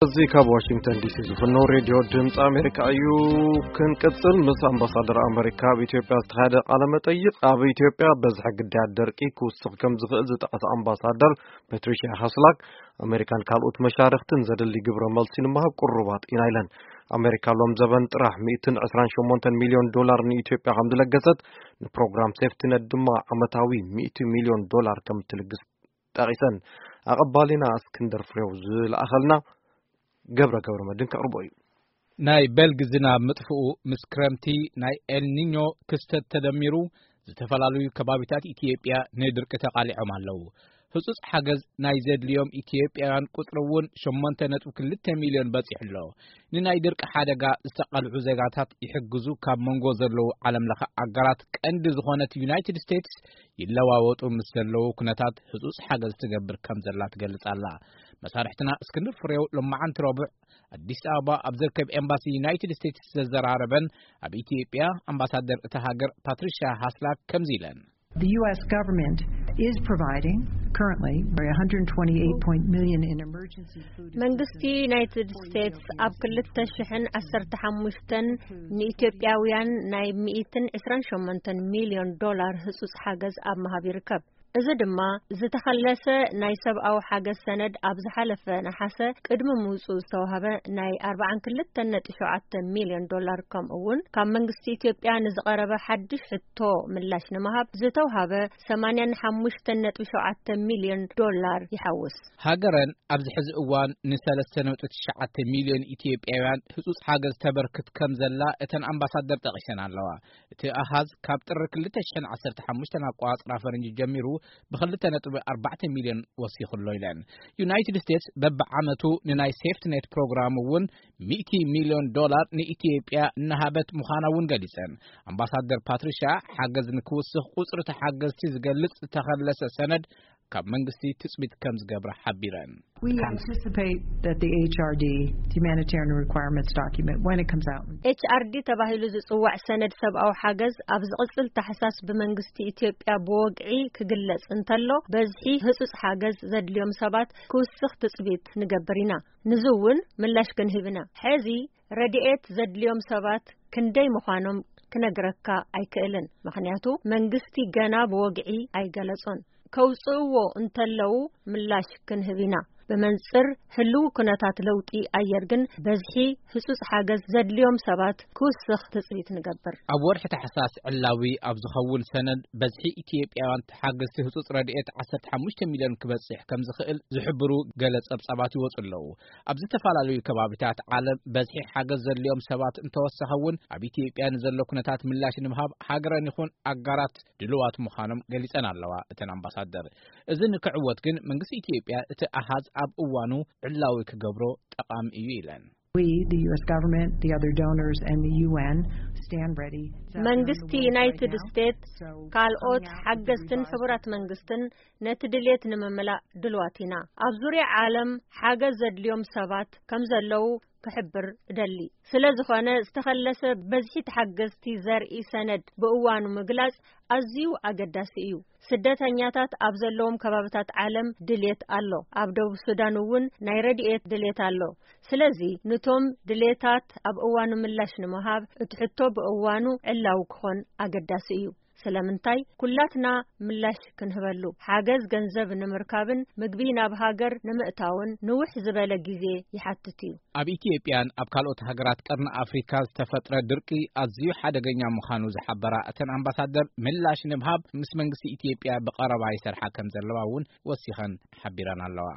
እዚ ካብ ዋሽንግተን ዲሲ ዝፍኖ ሬድዮ ድምፂ ኣሜሪካ እዩ። ክንቅፅል፣ ምስ ኣምባሳደር ኣሜሪካ ኣብ ኢትዮጵያ ዝተኻየደ ቃለ መጠይቕ፣ ኣብ ኢትዮጵያ በዝሒ ግዳያት ደርቂ ክውስኽ ከም ዝኽእል ዝጠቐሰ ኣምባሳደር ፓትሪሺያ ሃስላክ፣ ኣሜሪካን ካልኦት መሻርኽትን ዘድሊ ግብረ መልሲ ንምሃብ ቅሩባት ኢና ኢለን። ኣሜሪካ ሎም ዘበን ጥራሕ ሚእትን ዕስራን ሸሞንተን ሚልዮን ዶላር ንኢትዮጵያ ከም ዝለገሰት፣ ንፕሮግራም ሴፍቲነት ድማ ዓመታዊ ሚእቲ ሚልዮን ዶላር ከም ትልግስ ጠቒሰን። ኣቐባሊና እስክንድር ፍሬው ዝለኣኸልና ገብረ ገብረ መድን ከቕርቦ እዩ። ናይ በልግ ዝናብ ምጥፍኡ ምስ ክረምቲ ናይ ኤልኒኞ ክስተት ተደሚሩ፣ ዝተፈላለዩ ከባቢታት ኢትዮጵያ ንድርቂ ተቓሊዖም ኣለዉ። ህጹጽ ሓገዝ ናይ ዘድልዮም ኢትዮጵያውያን ቁጽሪ እውን ሸሞንተ ነጥቢ ክልተ ሚልዮን በጺሑ ኣሎ። ንናይ ድርቂ ሓደጋ ዝተቐልዑ ዜጋታት ይሕግዙ ካብ መንጎ ዘለዉ ዓለም ለኸ ኣጋራት ቀንዲ ዝኾነት ዩናይትድ ስቴትስ ይለዋወጡ ምስ ዘለዉ ኩነታት ህጹጽ ሓገዝ ትገብር ከም ዘላ ትገልጽ ኣላ። መሳርሕትና እስክንድር ፍሬው ሎማዓንቲ ረቡዕ ኣዲስ ኣበባ ኣብ ዝርከብ ኤምባሲ ዩናይትድ ስቴትስ ዘዘራረበን ኣብ ኢትዮጵያ ኣምባሳደር እታ ሃገር ፓትሪሻ ሃስላክ ከምዚ ኢለን። The U S government is providing currently one hundred twenty-eight point million in emergency food መንግስቲ assistance ዩናይትድ for ስቴትስ ኣብ Ethiopians ክልተ ሽሕን ዓሰርተ ሓሙሽተን ንኢትዮጵያውያን ናይ ሚእትን ዕስራን ሸሞንተን ሚልዮን ዶላር ህጹጽ ሓገዝ ኣብ ምሃብ ይርከብ። እዚ ድማ ዝተኸለሰ ናይ ሰብኣዊ ሓገዝ ሰነድ ኣብ ዝሓለፈ ነሓሰ ቅድሚ ምውጽኡ ዝተዋህበ ናይ ኣርባዓን ክልተን ነጥቢ ሸውዓተ ሚልዮን ዶላር፣ ከምኡ እውን ካብ መንግስቲ ኢትዮጵያ ንዝቐረበ ሓድሽ ሕቶ ምላሽ ንምሃብ ዝተውሃበ ሰማንያን ሓሙሽተን ነጥቢ ሸውዓተ ሚልዮን ዶላር ይሓውስ። ሃገረን ኣብዚ ሕዚ እዋን ንሰለስተ ነጥቢ ትሽዓተ ሚልዮን ኢትዮጵያውያን ህጹጽ ሓገዝ ተበርክት ከም ዘላ እተን ኣምባሳደር ጠቒሰን ኣለዋ። እቲ ኣሃዝ ካብ ጥሪ ክልተ ሽሕን ዓሰርተ ሓሙሽተን ኣቆጻጽራ ፈረንጂ ጀሚሩ ብክልተ ነጥቢ ኣርባዕተ ሚልዮን ወሲኹ ኣሎ ኢለን። ዩናይትድ ስቴትስ በብዓመቱ ንናይ ሴፍትኔት ፕሮግራም እውን ሚእቲ ሚልዮን ዶላር ንኢትዮጵያ እናሃበት ምዃና እውን ገሊጸን። ኣምባሳደር ፓትሪሻ፣ ሓገዝ ንክውስኽ ቁጽሪ ተሓገዝቲ ዝገልጽ ዝተኸለሰ ሰነድ ካብ መንግስቲ ትጽቢት ከም ዝገብራ ሓቢረን። We anticipate that the H R D, the humanitarian requirements document, when it comes out. ኤች ኣር ዲ ተባሂሉ ዝጽዋዕ ሰነድ ሰብኣዊ ሓገዝ ኣብ ዝቕጽል ታሕሳስ ብመንግስቲ ኢትዮጵያ ብወግዒ ክግለጽ እንተሎ፣ በዝሒ ህጹጽ ሓገዝ ዘድልዮም ሰባት ክውስኽ ትጽቢት ንገብር ኢና። ንዚ እውን ምላሽ ክንህብ ኢና። ሕዚ ረድኤት ዘድልዮም ሰባት ክንደይ ምዃኖም ክነግረካ ኣይክእልን፣ ምኽንያቱ መንግስቲ ገና ብወግዒ ኣይገለጾን። ከውጽእዎ እንተለዉ ምላሽ ክንህብ ኢና። ብመንጽር ህልው ኩነታት ለውጢ ኣየር ግን በዝሒ ህጹጽ ሓገዝ ዘድልዮም ሰባት ክውስኽ ትጽቢት ንገብር። ኣብ ወርሒ ታሕሳስ ዕላዊ ኣብ ዝኸውን ሰነድ በዝሒ ኢትዮጵያውያን ተሓገዝቲ ህጹጽ ረድኤት ዓሰርተ ሓሙሽተ ሚልዮን ክበጽሕ ከም ዝኽእል ዝሕብሩ ገለ ጸብጻባት ይወጹ ኣለዉ። ኣብ ዝተፈላለዩ ከባቢታት ዓለም በዝሒ ሓገዝ ዘድልዮም ሰባት እንተወሰኸ እውን፣ ኣብ ኢትዮጵያ ንዘሎ ኩነታት ምላሽ ንምሃብ ሃገረን ይኹን ኣጋራት ድልዋት ምዃኖም ገሊጸን ኣለዋ። እተን ኣምባሳደር፣ እዚ ንክዕወት ግን መንግስቲ ኢትዮጵያ እቲ ኣሃዝ ኣብ እዋኑ ዕላዊ ክገብሮ ጠቓሚ እዩ ኢለን። We, the U S government, the other donors, and the U N stand ready. መንግስቲ ዩናይትድ ስቴትስ፣ ካልኦት ሓገዝትን ሕቡራት መንግስትን ነቲ ድሌት ንምምላእ ድልዋት ኢና። ኣብ ዙርያ ዓለም ሓገዝ ዘድልዮም ሰባት ከም ዘለዉ ክሕብር እደሊ። ስለ ዝኾነ፣ ዝተኸለሰ በዝሒ ተሓገዝቲ ዘርኢ ሰነድ ብእዋኑ ምግላጽ ኣዝዩ ኣገዳሲ እዩ። ስደተኛታት ኣብ ዘለዎም ከባብታት ዓለም ድሌት ኣሎ። ኣብ ደቡብ ሱዳን እውን ናይ ረድኤት ድሌት ኣሎ። ስለዚ፣ ንቶም ድሌታት ኣብ እዋኑ ምላሽ ንምሃብ፣ እቲ ሕቶ ብእዋኑ ዕላዊ ክኾን ኣገዳሲ እዩ። ስለምንታይ? ኩላትና ምላሽ ክንህበሉ፣ ሓገዝ ገንዘብ ንምርካብን ምግቢ ናብ ሃገር ንምእታውን ንውሕ ዝበለ ግዜ ይሓትት እዩ። ኣብ ኢትዮጵያን ኣብ ካልኦት ሃገራት ቀርኒ ኣፍሪካ ዝተፈጥረ ድርቂ ኣዝዩ ሓደገኛ ምዃኑ ዝሓበራ እተን ኣምባሳደር፣ ምላሽ ንምሃብ ምስ መንግስቲ ኢትዮጵያ ብቐረባ ይሰርሓ ከም ዘለዋ እውን ወሲኸን ሓቢረን ኣለዋ።